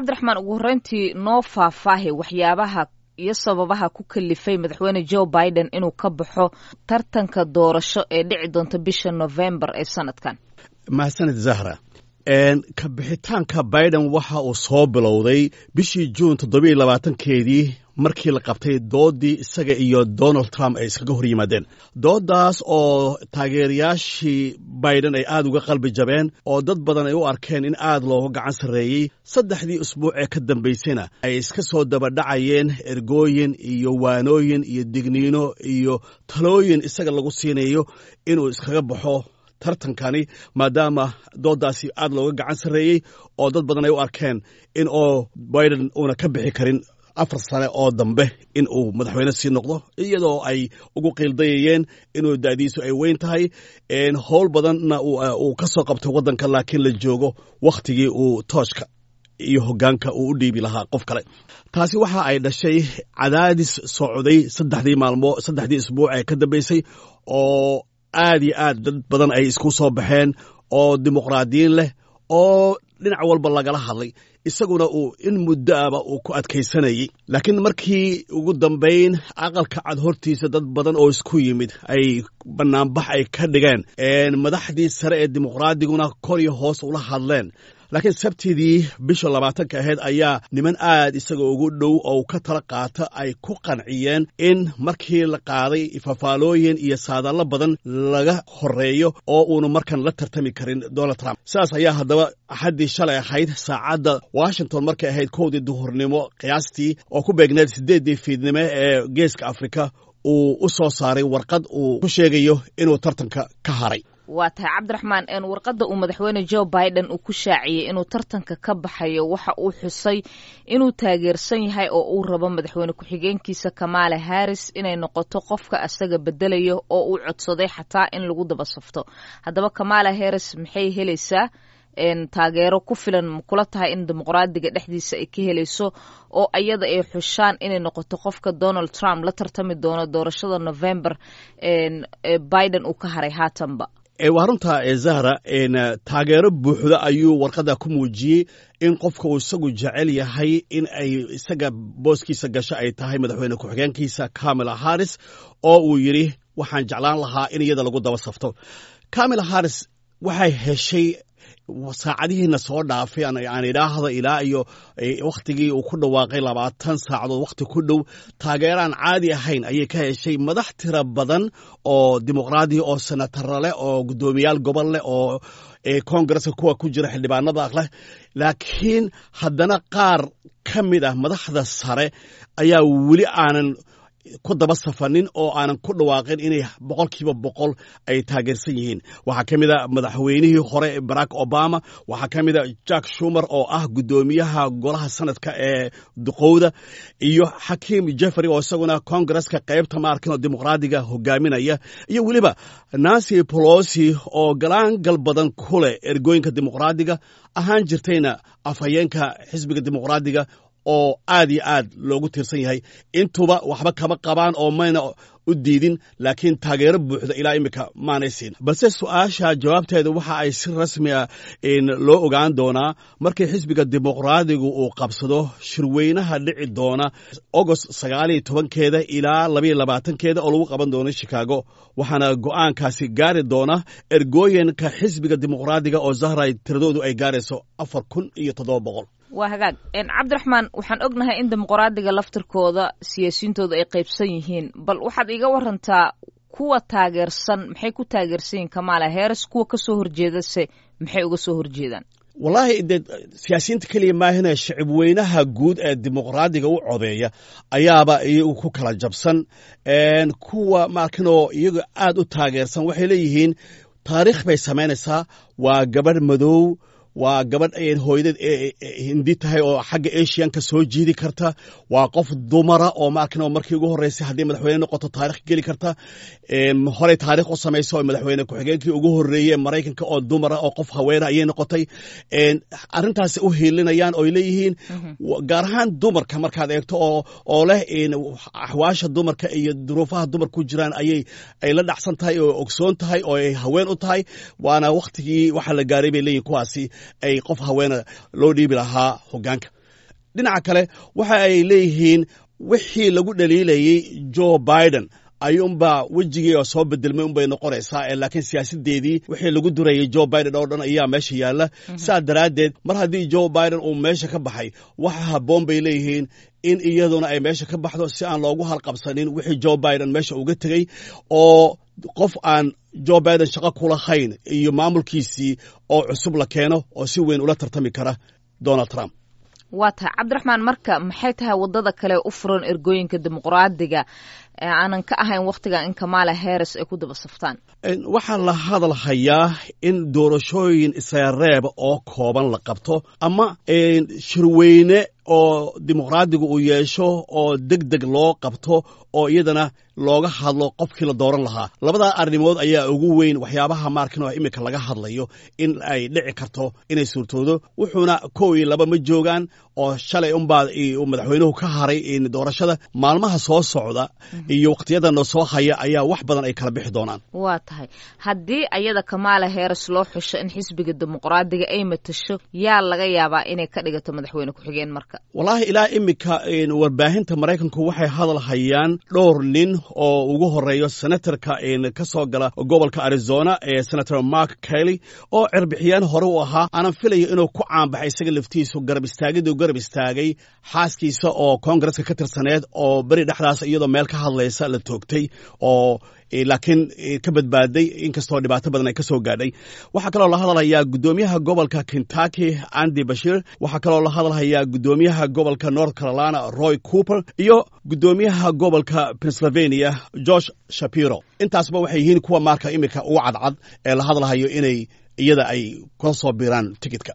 Cabdiraxmaan, ugu horreyntii noo faahfaahi waxyaabaha iyo sababaha ku kalifay madaxweyne Joe Biden inuu ka baxo tartanka doorasho ee dhici doonta bisha Novembar ee sanadkan. Mahadsanid, Zahra. Ka bixitaanka Biden waxa uu soo bilowday bishii Juun 27-keedii, markii la qabtay doodii isaga iyo Donald Trump ay iskaga hor yimaadeen, dooddaas oo taageerayaashii Biden ay aad uga qalbi jabeen oo dad badan ay u arkeen in aad looga gacan sarreeyey. 3dii usbuuc ee ka dambaysayna ay iska soo dabadhacayeen ergooyin iyo waanooyin iyo digniino iyo talooyin isaga lagu siinayo inuu iskaga baxo tartankani, maadaama dooddaasi aad looga gacan sarreeyey oo dad badan ay u arkeen in oo Biden uuna ka bixi karin 4 sane oo dambe in uu madaxweyne sii noqdo, iyadoo ay ugu qiildayayeen inuu da'diisu ay weyn tahay, howl badanna uu ka soo qabtay waddanka, laakiin la joogo wakhtigii uu tooshka iyo hoggaanka uu u dhiibi lahaa qof kale. Taasi waxa ay dhashay cadaadis socday 3dii maalmood, 3dii isbuuc ee ka dambaysay, oo aad iyo aad dad badan ay isku soo baxeen oo dimuqraadiyiin leh oo dhinac walba lagala hadlay, isaguna uu in muddoaba uu ku adkaysanayey. Laakiin markii ugu dambayn Aqalka Cad hortiisa dad badan oo isku yimid ay bannaanbax ay ka dhigeen, madaxdii sare ee dimuqraadiguna kor iyo hoos ula hadleen, laakiin Sabtidii bisha 20-ka ahayd ayaa niman aad isaga ugu dhow oo ka tala qaata ay ku qanciyeen in markii la qaaday fafaalooyin iyo saadaallo badan laga horeeyo oo uunu markan la tartami karin Donald Trump. Sidaas ayaa haddaba Axaddii shalay ahayd, saacadda Washington markay ahayd 1dii duhurnimo qiyaastii, oo ku beegneed 8dii fiidnimo ee Geeska Afrika, uu u soo saaray warqad uu ku sheegayo inuu tartanka ka haray. Waa tahay, Cabdiraxmaan. Warqadda uu madaxweyne Joe Biden uu ku shaaciyey inuu tartanka ka baxayo, waxa uu xusay inuu taageersan yahay oo uu rabo madaxweyne ku-xigeenkiisa Kamala Harris inay noqoto qofka asaga bedelayo, oo uu codsaday xataa in lagu daba safto. Haddaba Kamala Harris maxay helaysaa? Taageero ku filan ma kula tahay in dimuqraadiga dhexdiisa ay ka helayso oo ayada ay xushaan inay noqoto qofka Donald Trump la tartami doono doorashada November Biden uu ka haray haatanba? Waa runta, Zahra. Taageero buuxda ayuu warqadda ku muujiyey in qofka uu isagu jecel yahay in ay isaga booskiisa gasho ay tahay madaxweyne ku-xigeenkiisa Kamala Harris, oo uu yidhi waxaan jeclaan lahaa in iyada lagu daba safto. Kamala Harris waxay heshay saacadihiina soo dhaafay, aan idhaahda ilaa iyo wakhtigii uu ku dhawaaqay 20 saacadood wakhti ku dhow, taageeraan caadi ahayn ayay ka heshay madax tira badan oo dimuqraadiya, oo senataro leh, oo guddoomiyaal gobol leh, oo koongareska kuwa ku jira xildhibaanada leh. Laakiin haddana qaar ka mid ah madaxda sare ayaa weli aanan ku daba safanin oo aanan ku dhawaaqin inay 100% ay taageersan yihiin. Waxaa ka mid a madaxweynihii hore Barack Obama, waxaa ka mid a Chuck Schumer oo ah guddoomiyaha golaha sanadka ee duqowda, iyo Xakiim Jeffrey oo isaguna koongareska qaybta maarkin oo dimuqraadiga hogaaminaya, iyo weliba Nancy Pelosi oo galaangal badan ku leh ergooyinka dimuqraadiga, ahaan jirtayna afhayeenka xisbiga dimuqraadiga oo aad iyo aad loogu tiirsan yahay. Intuba waxba kama qabaan oo mayna u diidin, laakiin taageero buuxda ilaa iminka maanay siin. Balse su-aasha jawaabteeda waxa ay si rasmi ah loo ogaan doonaa markii xisbiga dimuqraadigu uu qabsado shirweynaha dhici doona Agost 19-keeda ilaa 22-keeda oo lagu qaban doono Chicago, waxaana go'aankaasi gaari doona ergooyinka xisbiga dimuqraadiga oo, Zahray, tiradoodu ay gaarayso 4700. Waa hagaag, Cabdiraxmaan. Waxaan ognahay in dimuqraadiga laftirkooda siyaasiyiintooda ay qaybsan yihiin. Bal waxaad iiga warantaa kuwa taageersan maxay ku taageersan yihiin Kamala Harris, kuwa kasoo horjeedase maxay uga soo horjeedaan? Wallaahi dee, siyaasiyiinta keliya maahine, shicib weynaha guud ee dimuqraadiga u codeeya ayaaba iyagu ku kala jabsan. Kuwa maarkinoo iyagu aad u taageersan waxay leeyihiin taariikh bay samaynaysaa, waa gabadh madow, waa gabadh hooyadeed Hindi tahay oo xagga Asianka soo jiidi karta, waa qof dumara oo maarkin markii ugu horreysay haddii madaxweyne noqoto taarikh geli karta, horey taarikh u samaysa oo madaxweyne ku-xigeenkii ugu horreeyey Maraykanka oo dumara oo qof haweena ayay noqotay. Arrintaasi u hiilinayaan oo ay leeyihiin, gaar ahaan dumarka markaad eegto oo leh axwaasha dumarka iyo duruufaha dumarka ku jiraan ayay ay la dhacsan tahay oo ogsoon tahay oo ay haween u tahay, waana wakhtigii waxa la gaaray bay leeyihin kuwaasi ay qof haweena loo dhiibi lahaa hoggaanka. Dhinaca kale, waxa ay leeyihiin wixii lagu dhaliilayey Joe Biden ayuunbaa wejigii oo soo bedelmay unbay noqonaysaa, laakiin siyaasadeedii wixii lagu durayay Joe Biden oo dhan ayaa meesha yaalla. Saa daraaddeed, mar haddii Joe Biden uu meesha ka baxay, waxa habboon bay leeyihiin in iyaduna ay meesha ka baxdo, si aan loogu halqabsanin wixii Joe Biden meesha uga tegey, oo qof aan Joe Biden shaqo kulahayn iyo maamulkiisii oo cusub la keeno oo si weyn ula tartami kara Donald Trump. Waa tahay, Cabdiraxmaan. Marka maxay tahay waddada kale u furan ergooyinka Dimuqraadiga aanan ka ahayn wakhtigan in Kamala Harris ay ku daba saftaan? Waxaa la hadal hayaa in doorashooyin isareeb oo kooban la qabto, ama shirweyne oo Dimuqraadigu uu yeesho oo deg deg loo qabto, oo iyadana looga hadlo qofkii la dooran lahaa. Labadaa arrimood ayaa ugu weyn waxyaabaha maarkin oo iminka laga hadlayo in ay dhici karto inay suurtoodo. Wuxuuna 1 iyo 2 ma joogaan, oo shalay unbaa madaxweynuhu ka haray doorashada. Maalmaha soo socda iyo wakhtiyadana soo haya ayaa wax badan ay kala bixi doonaan. Waa tahay. Haddii ayada Kamala Harris loo xusho in xisbiga Dimuqraadiga ay matasho, yaa laga yaabaa inay ka dhigato madaxweyne ku-xigeen marka? Wallaahi, ilaa iminka warbaahinta Maraykanku waxay hadal hayaan dhowr nin oo ugu horeeyo senatorka ka soo gala gobolka Arizona ee Senator Mark Kelly, oo cirbixiyaan hore u ahaa, aanan filayo inuu ku caanbaxay isaga laftiisu garab istaagiduu garab istaagay xaaskiisa oo koongareska ka tirsaneed, oo beri dhexdaas iyadoo meel ka hadlaysa la toogtay, oo laakiin ka badbaaday inkastoo dhibaato badan ay ka soo gaadhay. Waxaa kaloo la hadalhayaa guddoomiyaha gobolka Kentucky, Andy Beshear. Waxaa kaloo la hadalhayaa guddoomiyaha gobolka North Carolina, Roy Cooper, iyo guddoomiyaha gobolka Pennsylvania, Josh Shapiro. Intaasba waxay yihiin kuwa maarka iminka ugu cadcad ee la hadalhayo inay iyada ay kula soo biiraan tikidka.